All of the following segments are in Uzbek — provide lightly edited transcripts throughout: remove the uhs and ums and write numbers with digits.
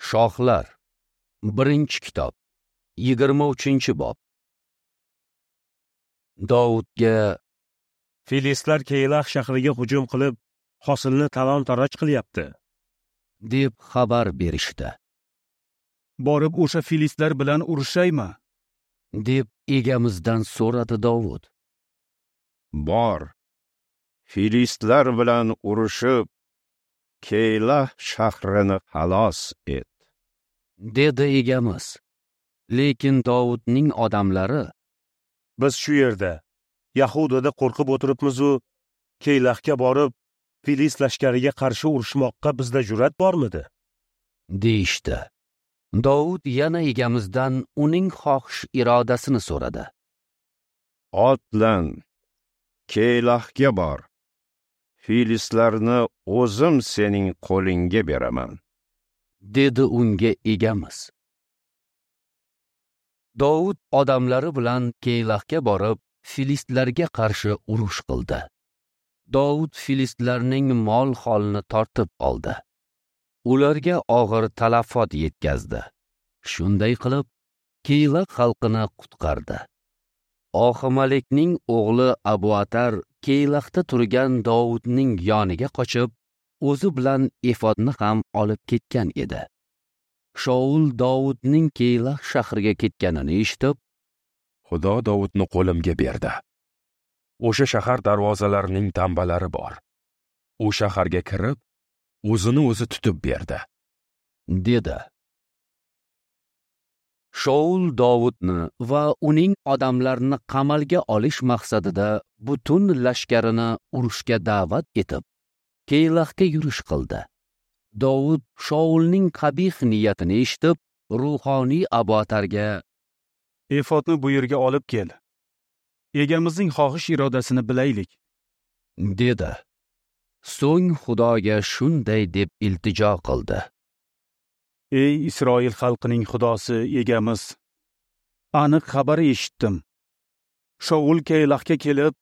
Shohlar, 1-kitob, 23-bob. Dovudga: Filistlar Keylah shahriga hujum qilib, hosilni talon-taroj qilyapti, deb xabar berishdi. Borib o'sha filistlar bilan urushaymi? Deb egamizdan so'radi Dovud. Bor, filistlar bilan urushib, Keylah shahrini xalos et, dedi egamiz. Lekin Dovudning odamlari: Biz shu yerda, Yahudada qo'rqib o'tiribmiz-u, Keylahga borib, Filist lashkariga qarshi urushmoqqa bizda jur'at bormidi? Deyishdi. Dovud yana egamizdan uning xohish irodasini so'radi. Otlan, Keylahga bor. Filistlarni o'zim sening qo'lingga beraman, dedi unga egamiz. Dovud odamlari bilan Keylahga borib, filistlarga qarshi urush qildi. Dovud filistlarning mol-holini tortib oldi. Ularga og'ir talafot yetkazdi. Shunday qilib, Keylah xalqini qutqardi. Oximalekning o'g'li Abuatar Keylahda turgan Dovudning yoniga qochib, o'zi bilan efodni ham olib ketgan edi. Shaul Dovudning Keylah shahriga ketganini eshitib, Xudo Dovudni qo'limga berdi. O'sha shahar darvozalarining tambalari bor. U shaharga kirib, o'zini o'zi tutib berdi, dedi. Shaul Dovudni va uning odamlarini qamalga olish maqsadida butun lashkarini urushga da'vat etib, Keylahga yurish qildi. Dovud Shaulning qabih niyatini eshitib, ruhoniy Abuatarga: Efodni bu yerga olib kel. Egamizning xohish irodasini bilaylik, dedi. So'ng Xudoga shunday deb iltijo qildi: Ey Isroil xalqining Xudosi egamiz, aniq xabar eshitdim. Shaul Keylahga kelib,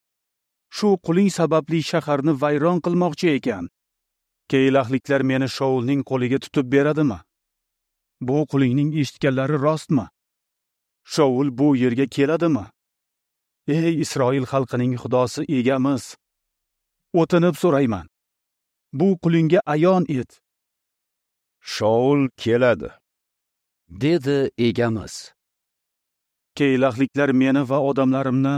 shu quling sababli shaharni vayron qilmoqchi ekan. Keylahliklar meni Shaulning qo'liga tutib beradimi? Bu qulingning eshitganlari rostmi? Shaul bu yerga keladimi? Ey Isroil xalqining Xudosi egamiz, o'tinib so'rayman. Bu qulingga ayon et. Shaul keladi, dedi egamiz. Keylahliklar meni va odamlarimni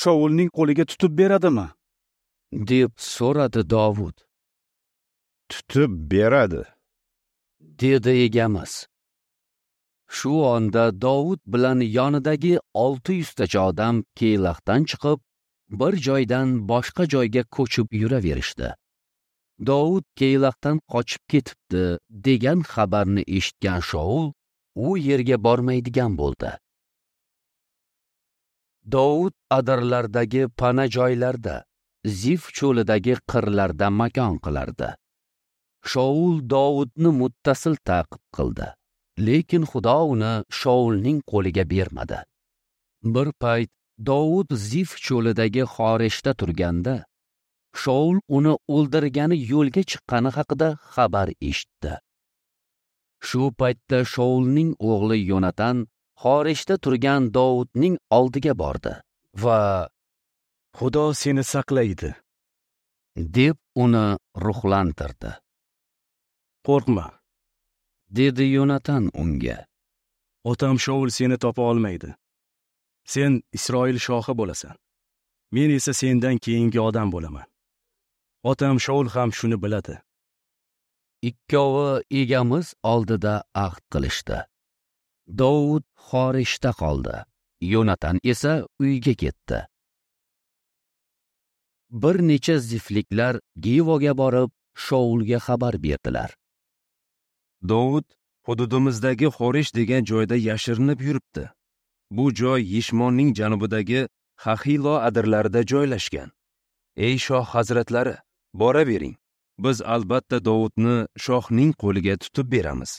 Shaulning qo'liga tutib beradimi? Deb so'radi Dovud. Tutib beradi, dedi egamiz. Shu onda Dovud bilan yonidagi 600 tacha odam Keylahdan chiqib, bir joydan boshqa joyga ko'chib yuraverishdi. Dovud Keylahdan qochib ketibdi degan xabarni eshitgan Shaul u yerga bormaydigan bo'ldi. Dovud adirlardagi pana joylarda, Zif cho'lidagi qirlarda makon qilardi. Shaul Dovudni muttasil ta'qib qildi, lekin Xudo uni Shaulning qo'liga bermadi. Bir payt Dovud Zif cho'lidagi Xoreshda turganda, Shaul uni o'ldirgani yo'lga chiqqani haqida xabar eshitdi. Shu paytda Shaulning o'g'li Yonatan Xoreshda turgan Dovudning oldiga bordi va Xudo seni saqlaydi, deb uni ruhlantirdi. Qo'rqma, dedi Yonatan unga. Otam Shaul seni topa olmaydi. Sen Isroil shohi bo'lasan. Men esa sendan keyingi odam bo'laman. Otam Shaul ham shuni biladi. Ikkovi egamiz oldida ahd qilishdi. Dovud Xoreshda qoldi. Yonatan esa uyga ketdi. Bir necha zifliklar Givoga borib, Shaulga xabar berdilar. Dovud hududimizdagi Xoresh degan joyda yashirinib yuribdi. Bu joy Yishmonning janubidagi Xahilo adirlarida joylashgan. Ey shoh hazratlari, boravering. Biz albatta Dovudni shohning qo'liga tutib beramiz.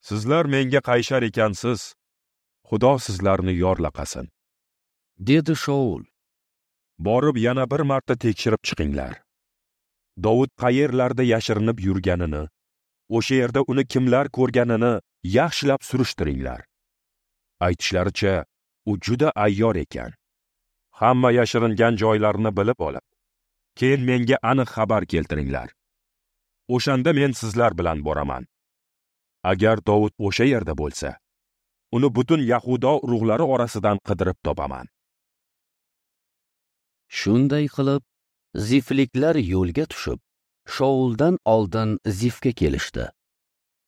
Sizlar menga qayshar ekansiz. Xudo sizlarni yorlaqasin, dedi Shaul. Borib yana bir marta tekshirib chiqinglar. Dovud qayerlarda yashirinib yurganini, O'sha yerda uni kimlar ko'rganini yaxshilab surishtiringlar. Aytishlaricha, u juda ayyor ekan. Hamma yashiringan joylarini bilib olib, keyin menga aniq xabar keltiringlar. O'shanda men sizlar bilan boraman. Agar Dovud o'sha yerda bo'lsa, uni butun Yahudo urug'lari orasidan qidirib topaman. Shunday qilib, zifliklar yo'lga tushib, Shouldan oldin Zifga kelishdi.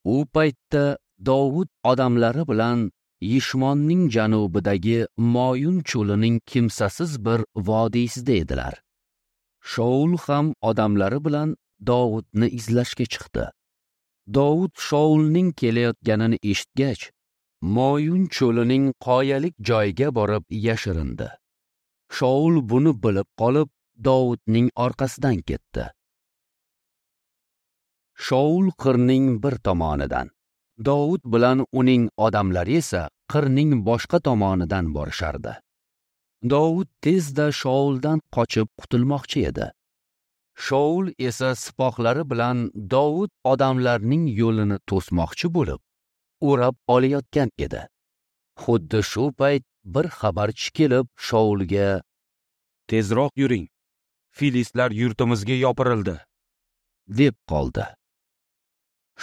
U paytda Dovud odamlari bilan Yishmonning janubidagi Moyun cho'lining kimsasiz bir vodiysida edilar. Shoul ham odamlari bilan Dovudni izlashga chiqdi. Dovud Shoulning kelayotganini eshitgach, Moyun cho'lining qoyalik joyiga borib yashirindi. Shoul buni bilib qolib, Dovudning orqasidan ketdi. Shoul qirning bir tomonidan, Dovud bilan uning odamlari esa qirning boshqa tomonidan borishardi. Dovud tezda Shouldan qochib qutulmoqchi edi. Shoul esa sipohlari bilan Dovud odamlarning yo'lini to'smoqchi bo'lib, o'rab olayotgan edi. Xuddi shu payt bir xabarchi kelib Shoulga: "Tezroq yuring. Filistlar yurtimizga yopirildi", deb qoldi.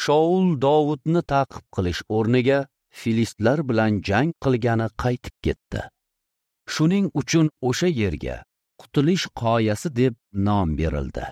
Shoul Dovudni ta'qib qilish o'rniga filistlar bilan jang qilgani qaytib ketdi. Shuning uchun o'sha yerga Qutulish qoyasi deb nom berildi.